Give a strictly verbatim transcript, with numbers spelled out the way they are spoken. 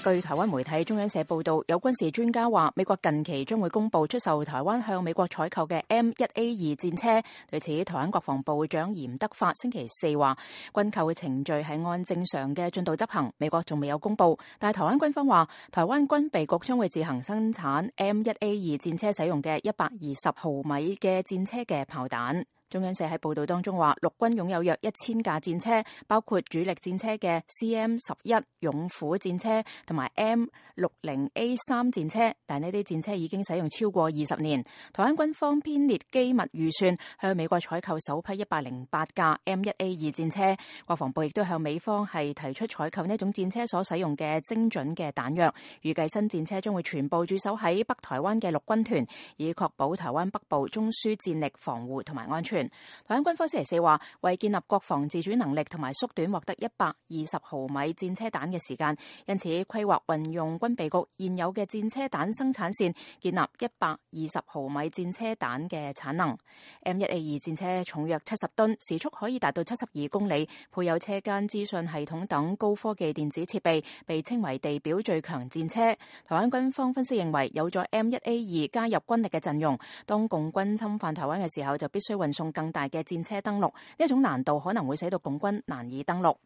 據台灣媒體中央社報道，有軍事專家話，美國近期將會公布出售台灣向美國採購嘅 M 一 A 二戰車。對此，台灣國防部長嚴德發星期四話，軍購嘅程序係按正常嘅進度執行，美國仲未有公布。但係台灣軍方話，台灣軍備局將會自行生產 M 一 A 二戰車使用嘅一百二十毫米嘅戰車嘅炮彈。中央社喺報道當中話，陸軍擁有約一千架戰車，包括主力戰車嘅 C M 十一勇虎戰車同埋 M 六十 A 三戰車，但呢啲戰車已經使用超過二十年。台灣軍方編列機密預算，向美國採購首批一百零八架 M 一 A 二戰車。國防部亦都向美方係提出採購呢種戰車所使用嘅精準嘅彈藥，預計新戰車將會全部駐守喺北台灣嘅陸軍團，以確保台灣北部中樞戰力防護同埋安全。台灣軍方星期四話，為建立國防自主能力同埋縮短獲得一百二十毫米戰車彈嘅時間，因此規劃運用軍備局現有嘅戰車彈生產線，建立一百二十毫米戰車彈嘅產能。M 一 A 二戰車重約七十噸，時速可以達到七十二公里，配有車間資訊系統等高科技電子設備，被稱為地表最強戰車。台灣軍方分析認為，有咗 M 一 A 二加入軍力嘅陣容，當共軍侵犯台灣嘅時候，就必須運送更大嘅戰車登陸，呢一種難度可能會使到共軍難以登陸。